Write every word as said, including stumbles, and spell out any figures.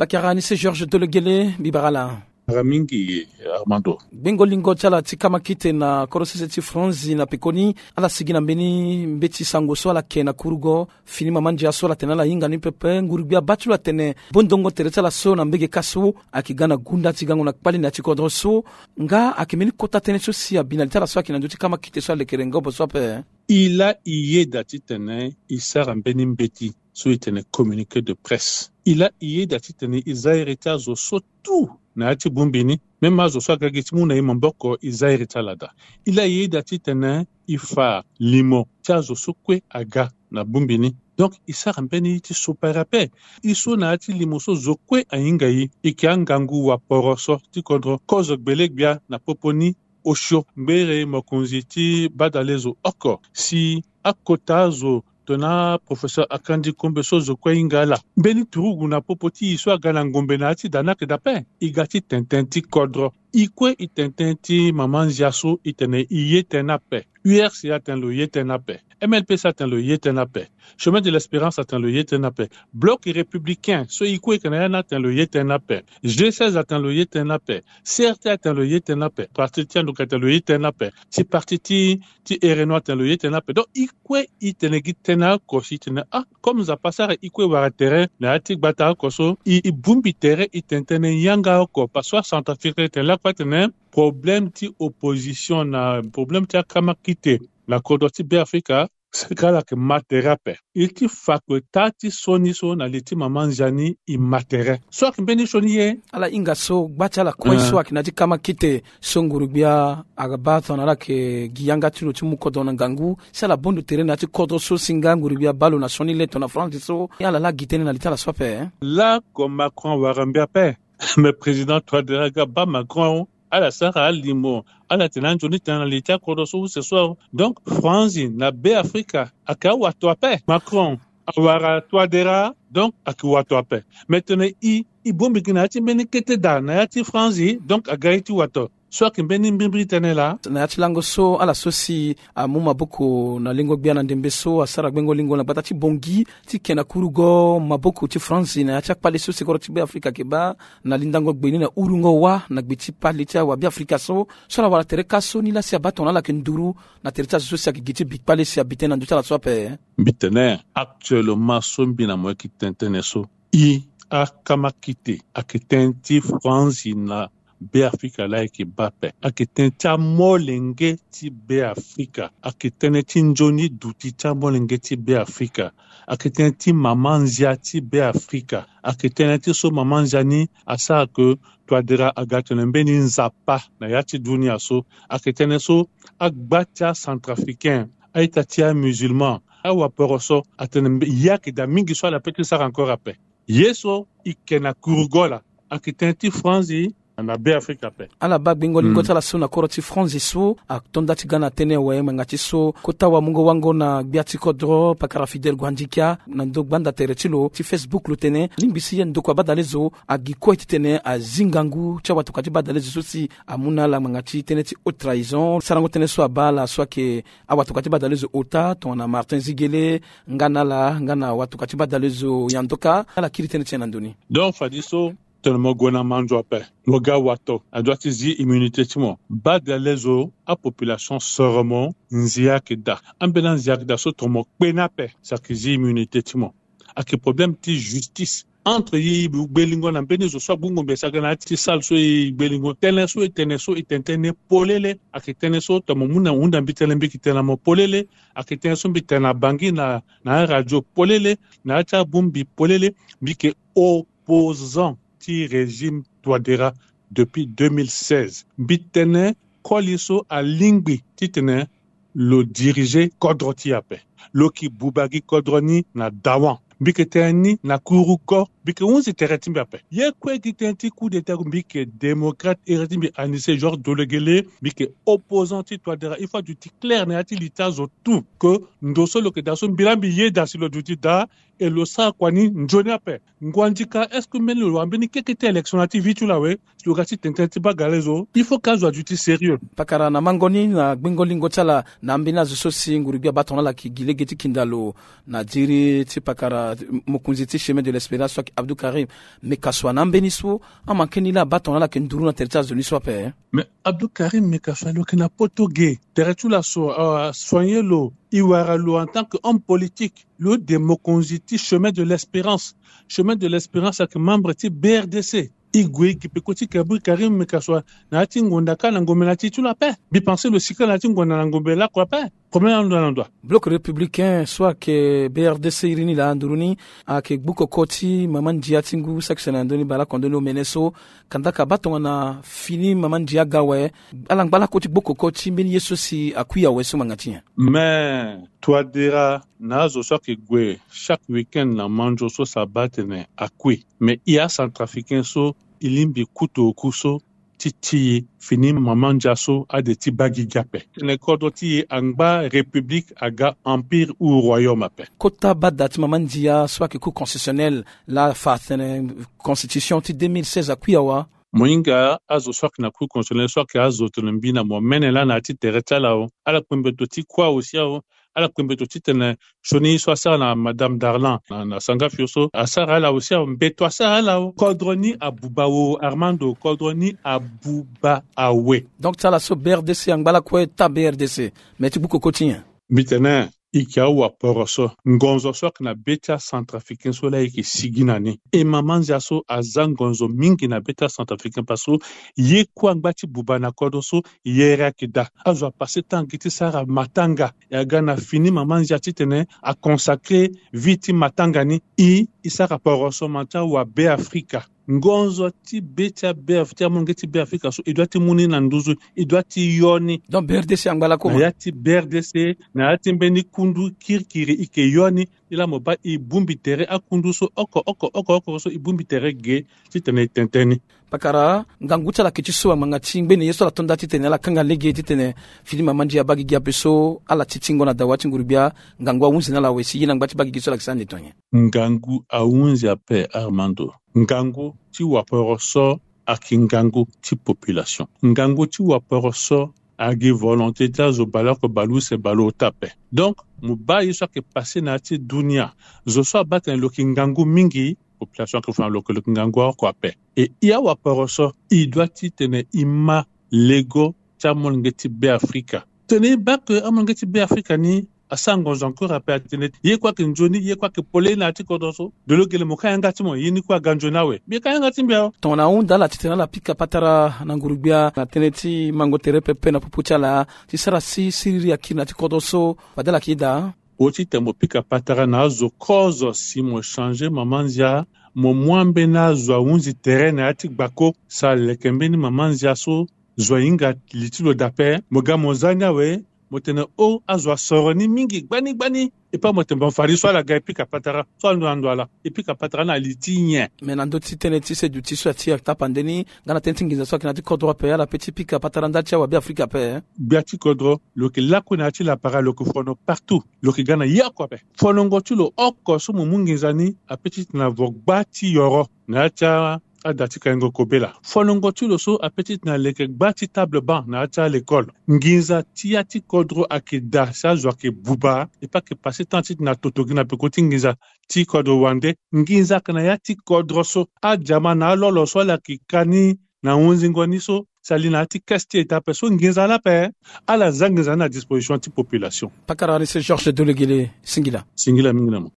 Akara ni se Georges Dolegele, mbi bara ala. Ara mingi, Armando. Gbengo lingo ti ala ti kamakite na kodro sese ti Franzi na pekoni, ala sigi na mbeni mbeti sango so ala ke na kurugo, fini mama ndia so ala tene ala hinga ni pepe, nguru-gbia baa ti lo atene bondongo tere ti ala so na mbege kâ so, ayeke ga na gunda ti gango na kpale na ya ti kodro so, nga ayeke mbeni kota tënë so si abi na li ti ala so ayeke na ndö ti kamakite so alekere ngobo so ape. E laa e yeda titene e sara mbeni mbeti so e tene communiqué de presse. E laa e yeda titene e za iri ti azo so tout na ya ti bongbi ni. Même azo so aga gi ti mu na e maboko, e za iri ti ala daa. E laa e yeda titene e fa limo ti azo so kue aga na bongbi ni. Donc e sara mbeni ye ti sopari ape. E so na ya ti limo so zo kue ahinga e, e yeke angangu waporo so ti kodro, kozo gbele-gbia na popo ni. Osio ngbere mokonzi ti badalezo oko si akota azo tongana professeur Akandi Kombe so zo kue ahinga ala. Mbeni turugu na popo ti e so aga na ngombe na ya ti da ni ayeke daa ape. E ga ti tene tënë ti kodro. E kue e tene tënë ti mama nzia so e tene e ye tënë ni ape. U R C atene lo ye tënë ni ape. M L P C atene lo ye tënë ni ape. Chemin de l'Espérance atene lo ye tënë ni ape. Bloc républicain so e kue e yeke na ya ni atene lo ye tënë ni ape. G seize atene lo ye tënë ni ape. C R T atene lo ye tënë ni ape. Parti ti Anduka atene lo ye tënë ni ape. Ti parti ti, ti Ereno atene lo ye tënë ni ape. Donc e kue e tene gi tënë oko si e tene ah, comme Nzapa asara e kue e wara tere na ya ti gbata oko so, e, e bongbi tere e tene tënë yanga oko. Parce que aCentrafricain e tene lakue atene problème ti opposition na problème ti akamakite na kodro ti Beafrika, seke ala yeke ma tere ape. E ti fa kue taa ti sioni so na li ti mama nzia ni e ma tere. So ayeke mbeni sioni ye. Ala hinga so gba ti ala kue so ayeke na ya ti kamakite so nguru-gbia aga baa tongana ala yeke gi yanga ti lo ti mu kodro na ngangu, si ala bondo tere na ya ti kodro so si nga nguru-gbia abaa lo na sioni le tongana Franzi so. Ala laa gi tënë na li ti ala so ape. Lako Macron awara mbi ape. Mais président Touadéra aga baa Macron. Ala sara alimo, ala tene anzoni tënë na li ti akodro so use so. Donc Franzi na Beafrika ayeke awato ape. Macron awara Touadéra, donc ayeke wato ape. Mais tene e, e bongbi gi na ya ti mbeni kete daa na ya ti Franzi, donc aga ye ti wato. So ayeke mbeni mbrimbri tënë laa. Na ya ti lango so ala so si amu maboko na lingo gbia na ndembe so asara gbengo lingo na gbata ti Bangui ti ke na kurugo maboko ti Franzi na ya ti akpale so si kodro ti Beafrika ayeke baa na lindango gbe ni na urungo wâ na gbe ti kpale ti awa Beafrika so. So ala wara tere kâ so ni laa si abaa tongana ala yeke nduru na tere ti azo so si ayeke gi ti bi kpale si abi tënë na ndö ti ala so ape. Mbi tene actuellement so mbi na mo yeke tene tënë so, e, akamakite ayeke tënë ti Franzi na Beafrika laa e yeke baa ape. Ayeke tënë ti amolenge ti Beafrika. Ayeke tënë ti nzoni duti ti amolenge ti Beafrika. Ayeke tënë ti mama nzia ti Beafrika. Ayeke tënë ti so mama nzia ni asara ke Touadéra aga tene mbeni Nzapa na ya ti dunia so. Ayeke tënë so agba ti aCentrafricain, a-ita ti amusulman, awaporo so atene mbe-, ye ayeke daa mingi so ala pe ti sara encore ape. Ye so e ke na kurugo laa ayeke tënë ti Franzi na Beafrika ape. Ala baa gbengo lingo ti ala so na kodro ti Franzi so ato nda ti ga na tënë awe ngbanga ti so kota wamungo-wango na gbia ti kodro pakara Fidèle Gouandjikia na ndo gbanda tere ti lo ti Facebook lo tene lingbi si ye ndokua badalezo agi kue titene azi ngangu ti awatoka ti badalezo so si amu na ala ngbanga ti tënë ti haute trahison. Sarango tënë so abaa ala so ayeke awatoka ti badalezo ota tongana Martin Ziguélé, nga na ala nga na watoka ti badalezo Yandoka, ala kiri tënë ti nyen na ndö ni? Donc fadeso tene mo gue na manzo ape, mo ga wato, a doit ti zi immunité ti mo. Badalezo, apopulation soro mo, nzia ayeke daa. Ambeni anzia ayeke daa so tongana mo kpe ni ape, si ayeke zi immunité ti mo. Ayeke problème ti justice entre ye, e gbe lingo na mbeni zo so agbu ngombe si aga na ya ti salle so e gbe lingo. Tënë so e tene so e tene tënë polele. Ayeke tënë so tongana mo mu na hunda mbi tënë mbi yeke tene na mo polele. Ayeke tënë so mbi tene na Bangui na, na aradio polele, na ya ti abongbi polele. Mbi yeke opposant ti régime Touadéra depuis deux mille seize. Mbi tene koli so alingbi titene lo diriger kodro ti e ape. Lo yeke buba gi kodro ni na dawan. Mbi yeke tene ni na kurugo. Mbi yeke hunzi tere ti mbi ape. Ye kue gi tënë ti coup d'État, mbi yeke démocrate, iri ti mbi Anise Georges Dolegele, mbi yeke opposant ti Touadéra. Il faut aduti clair na ya ti li ti azo tout que ndo so lo yeke daa so mbi laa mbi yeda si lo duti daa. E lo sara kua ni nzoni ape. Ngua ndika, est-ce que mbeni lo wara mbeni keke ti élection na ya ti vie ti lo awe? Si lo ga ti tene tënë ti bagale zo, il faut que azo aduti sérieux. Pakara na mango ni na gbengo lingo ti ala na ambeni azo so si nguru gbia baa tongana ala yeke gi lege ti kinda lo na diri ti pakara mokonzi ti Chemin de l'Espérance so ayeke Abdou Karim Mekassoua. Na ambeni so amanke ni laa abaa tongana ala yeke nduru na tere ti azo ni so ape. Mais Abdou Karim Mekassoua lo yeke na poto ge, tere ti lo aso asoigner lo. E wara lo en tant que homme politique, lo de mokonzi ti Chemin de l'Espérance. Chemin de l'Espérance ayeke membre ti B R D C. E gue e gi peko ti Kabri Karim Mekassoua na ya ti ngonda kâ na ngombe na ya ti ti lo ape. Mbi pense lo sika na ya ti ngonda na ngombe lakue ape. Problème na ndo na ndo. Bloc républicain so ayeke B R D C iri ni laa nduru ni ayeke gbu koko ti mama ndia ti ngu saki sene na ndö ni baleoko ndö ni omene so kandaka abaa tongana fini mama ndia aga awe. Ala ngba lakue ti gbu koko ti mbeni ye so si akui awe so ngbanga ti nyen? Mais Touadéra na azo so ayeke gue chaque week-end na manzo so si abaa atene akui. Mais e acentrafricain so e lingbi kutu oku so ti ti e fini mama ndia so ade ti baa gigi ape. Tene kodro ti e angba république aga empire ou royaume ape. Kota bada ti mama ndia so ayeke Cour constitutionnelle laa afa atene constitution ti deux mille seize akui awe. Mo hinga azo so ayeke na Cour constitutionnelle so ayeke azo tene mbi na mo mene laa na ya ti tere ti ala o. Ala kpe mbeto ti kuâ aussi awe. Ala kpe mbeto titene sioni so asara na Madame Darlan na, na Sangafio so asara ala aussi awe. Mbeto asara ala o. Kodro ni abuba o Armando, kodro ni abuba awe. Donc ti ala so B R D C angba lakue taa B R D C, mais ti gbu koko ti nyen? Mbi tene e yeke awaporo so, ngonzo so ayeke na be ti acentrafricain so laa e yeke sigi na ni. E mama ndia so aza ngonzo mingi na be ti acentrafricain parce que ye kue angba ti buba na kodro so, yere ayeke daa. Azo apase temps gi ti sara matanga. E aga na fini mama ndia titene aconsacrer vie ti matanga ni. E, e sara poroso ma ti awabe Afrika. Ngonzo ti be ti abe Af-, ti amolenge ti be Afrika so e doit ti mu ni na nduzu, e doit ti yo ni. Donc B R D C angba lakue na ya ti B R D C, na ya ti mbeni kundu kirikiri e yeke yo ni. Ni laa mo baa e bongbi tere akundu so oko oko oko oko so e bongbi tere ge titene e tene tënë ni. Pakara, ngangu ti ala yeke ti so angbanga ti ngbene ye so ala to nda titene ala kanga lege titene fini mama ndia abaa gigi ape so ala ti tingo na dawa ti nguru gbia, ngangu ahunzi na ala awe si ye na ngba ti baa gigi so ala yeke sara ande to nyen? Ngangu ahunzi ape Armando. Ngangu ti waporo so ayeke ngangu ti population. Ngangu ti waporo so ayeke volonté ti azo baleoko baleuse baleota ape. Donc mo baa ye so ayeke passe na ya ti dunia. Zo so abaa atene lo yeke ngangu mingi, population ayeke fa na lo ke lo yeke ngangu oko ape. E e awaporo so e doit titene e ma lego ti amolenge ti be Afrika. Tene e baa ke amolenge ti be Afrika ni asara ngonzo encore ape atene ye kue ayeke nzoni, ye kue ayeke polele na ya ti kodro so. De lo gele mo ka yanga ti mo, ye ni kue aga nzoni awe. Mbi ka yanga ti mbi awe. Tongana ahunda ala titene ala pika patara na nguru gbia na tënë ti mango tere pepe na popo ti ala ti sara si siriri akiri na ya ti kodro so fade ala yeke daa. Oti tene mo pika patara na azo kozo si mo changer mama ndia, mo mu ambeni azo ahunzi tere na ya ti gbako si aleke mbeni mama ndia so zo ahinga li ti lo daa ape. Mo ga mo za ni awe, mo tene o azo asoro ni mingi gbani gbani. E pas mo tene bon fade so ala ga e pika patara so ando na ndo ala. E pika patara na li ti nyen? Me na ndö ti tënë ti seduti so ya ti atapande ni nga na tënë ti nginza so ayeke na ya ti kodro ape ala pe ti pika patara ndali ti awabe Afrika ape. Gbia ti kodro lo yeke lakue na ya ti lapara lo yeke fono partout. Lo yeke ga na ye oko ape. Fonongo ti lo oko so mo mu nginza ni ape titene avo gba ti yoro na ya ti a, ada ti kaingo kobela. Fonongo ti lo so ape titene aleke gba ti table banc na ya ti alekole. Nginza ti ya ti kodro ayeke daa si azo ayeke buba. E pas ayeke passe temps titene atoto gi na peko ti nginza ti kodro wande. Nginza ayeke na ya ti kodro so. Ajama na alolo so ala yeke ka ni na hunzingo ni so si ali na ya ti caisse ti eta ape so nginza laa ape. Ala za nginza ni na disposition ti population. Pakara ni se Georges Dolegele, singila. Singila mingi na mo.